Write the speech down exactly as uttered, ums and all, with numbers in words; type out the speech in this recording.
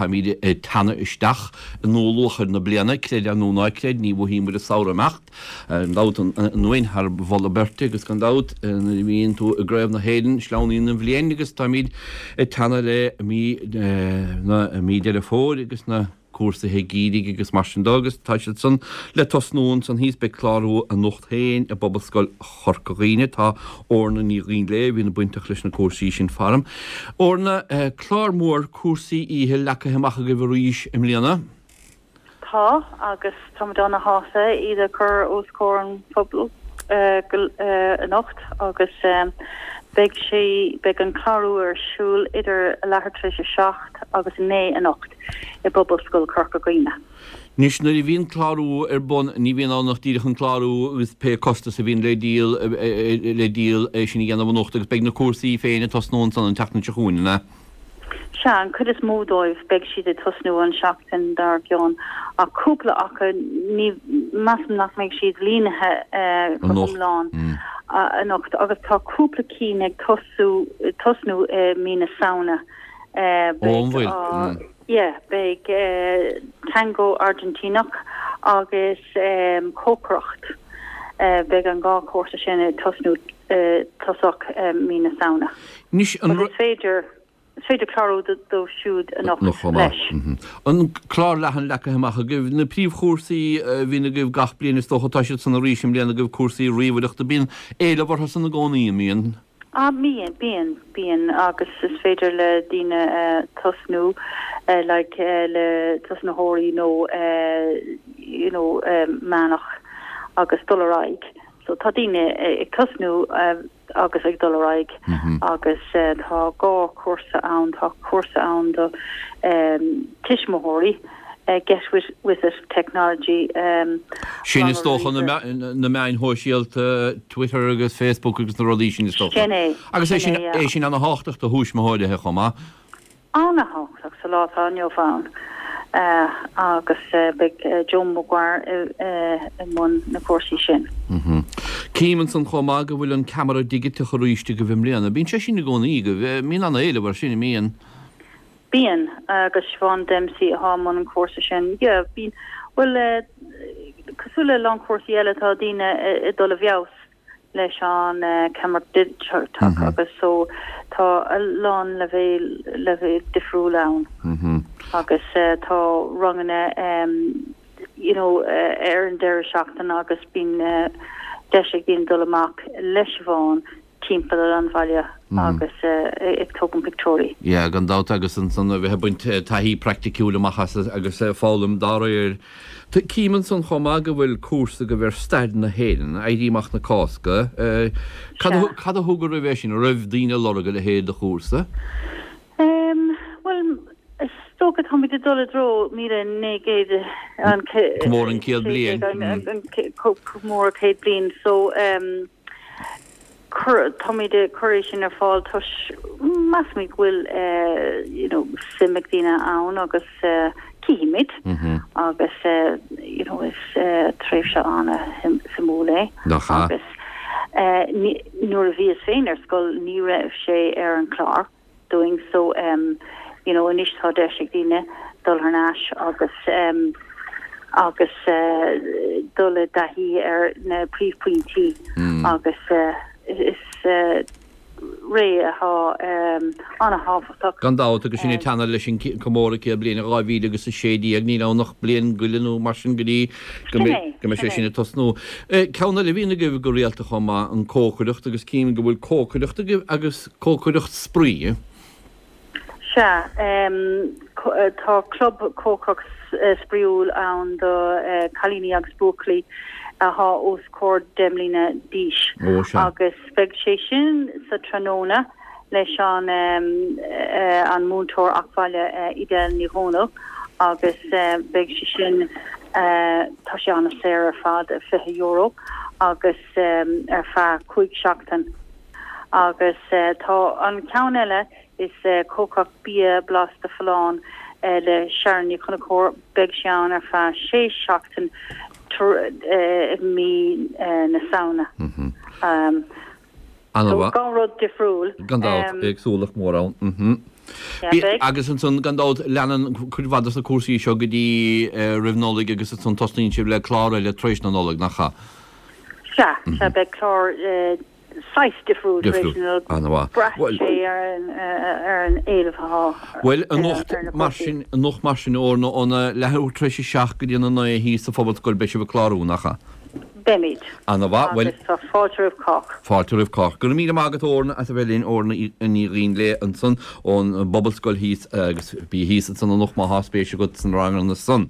Táimid ag teannadh isteach i ndlúthluachair na bliana, creid é nó ná creid, ní mhothaíonn muid an samhradh ag imeacht, gan dabht an thar mholadh beirte agus gan dabht nuair a bhíonn tú i gCraobh na hÉireann, sleamhnaíonn an bhliain agus táimid ag teannadh le mí na mí Deireadh Fómhair agus na cúrsaithe geimhridh agus mar sin de agus tá siad san le tosnú ansan thíos. Beidh clárú anocht féin i bPobalscoil Chorca Dhuibhne. Tá Orna Ní Dhuinnshléibhe a bhíonn bainteach leis na cúrsaí sin faram. Orna, clár mór cúrsaí oíche leagtha amach agaibh arís i mbliana? Tá, agus táimid ana-shásta iad a chur os comhair an phobail anocht agus beidh sé, beidh an clárú ar siúl idir a leathuair tar éis a seacht agus a naoi anocht i bPobalscoil Chorca Dhuibhne. Anois nuair a bhíonn clárú ar bun ní bhíonn ann ach díreach an clárú agus pé costas a bhíonn le díol le díol é sin a dhéanamh anocht agus beidh na cúrsaí féin ag tosnú ansan an tseachtain seo chugainn, an ea? Sea, an chuid is mó dóibh, beidh siad ag tosnú an seachtain dár gcionn, ach cúpla acu, ní, measaim nach mbeidh siad líonaithe go hiomlán anocht, agus tá cúpla cinn ag tosú, tosnú i mí na Samhna. Ó, an bhfuil? Yeah, beidh Tango Airgintíneach agus cócaireacht, beidh an dhá chúrsa sin ag tosnú tosach mí na Samhna. Anois, an. Is féidir. Is féidir clárú dóibh siúd anocht leis. An clár leathan leagtha amach agaibh. Na príomhchúrsaí a bhíonn agaibh gach bliain is dócha, tá siad san arís i mbliana agaibh, cúrsaí ríomhaireachta. Bíonn éileamh orthu san i gcónaí, an mbíonn? Ah bíonn, bíonn, bíonn agus is féidir le daoine tosnú like le tosnaitheoirí nó you know meánach agus dul ar aghaidh. So tá daoine ag tosnú agus ag dul ar aghaidh agus tá dhá chúrsa ann, tá cúrsa ann do tuismitheoirí, Get With With It Technology. Sin is dócha na meáin shóisialta, Twitter agus Facebook agus na rudaí sin is dócha. Sin é. Agus é sin é sin ana-thábhachtach do thuismitheoirí chomh maith. Ana-thábhachtach sa lá atá inniu ann agus beidh Joe Maguire i mbun na cúrsaí sin. Cím ansan chomh maith go bhfuil an ceamara digiteach arís agaibh i mbliana. Bíonn sé sin i gcónaí agaibh. Bíonn an-éileamh air sin, an mbíonn? Bíonn, agus Siobhán Dempsey atá i mbun an chúrsa sin. Yeah, bíonn. Bhuel, cosúil le a lán cúrsaí eile tá daoine ag dul i bhfeabhas. leis an ceamara digiteach agus so tá a lán leibhéil leibhéil difriúla ann agus tá ranganna you know ar an deireadh seachtaine agus bíonn deis ag daoine dul amach le Siobhán timpeall an bhaile agus ag tógaint pictiúirí. Yeah, gan dabht agus ansan a bheith ag baint taithí praiticiúil amach as agus foghlaim dá réir. Cím ansan chomh maith go bhfuil cúrsa agaibh ar stair na hÉireann, Éirí Amach na Cásca. Cad a cad a thug oraibh é sin? An raibh daoine ag lorg a leithéid de chúrsa? Bhuel, is dócha táimid ag dul i dtreo míle naoi gcéad an Comóradh an céad bliain. Comóradh céad bliain so Cuir, táimid ag cur é sin ar fáil toisc measaimid go bhfuil you know suim ag daoine ann agus cífimid agus you know is tréimhse an-suimiúil é Nach ea? agus nuair a bhíos féin ar scoil ní raibh sé ar an chlár. dúinn so you know anois tá deis ag daoine dul thar n-ais agus agus dul i dtaithí ar na príomhphointí agus is ré atá an-thábhachtach. Gan dabht, agus sinn ag teannadh leis an comóradh céad bliain i dhá mhíle agus a sé déag, níl ann ach bliain go leith nó mar sin go dtí go mbeidh sé sin ag tosnú. Ceann eile a bhíonn agaibh go rialta chomh maith, an cócaireacht, agus cím go bhfuil cócaireacht agaibh agus cócaireacht spraoi. Sea, tá club cócaireacht spraíúil ann do chailíní agus buachaillí atá os comhair deich mbliana d'aois agus beidh sé sin sa tráthnóna leis an an múinteoir acmhainne Edel Ní Dhomhnaill agus beidh sé sin, tá sé an-saor ar fad, fiche euro agus ar feadh cúig seachtain. Agus tá an ceann eile, is cócaireacht bia blasta folláin le Sharon Ní Chonchúir, beidh sé ann ar feadh sé seachtain i mí na Samhna. So dhá rud difriúil. Gan dabht, éagsúlacht mór ann. Sea, beidh. Agus ansan, gan dabht, leanann cuid mhaith dos na cúrsaí seo go dtí roimh Nollaig agus ansan tosnaíonn sibh le clár eile tar éis na Nollag, nach ea? Sea, sea, beidh clár saghas difriúil tar éis na Nollag. An-mhaith. Braitheann sé ar an éileamh atá Bhuel, anocht ar na mar cúrsaí. sin, anocht mar sin, Orna, óna leathuair tar éis a seacht go dtí a naoi thíos sa Phobalscoil, beidh sibh ag clárú, nach ea? Beimid. An-mhaith, bhuel. Agus tá fáilte roimh chách. Fáilte roimh chách. Go raibh míle maith agat, Orna, as a bheith linn, Orna Ní Dhuinnshléibhe ansan ón bPobalscoil thíos agus bí thíos ansan anocht má thá spéis agat sna ranganna san.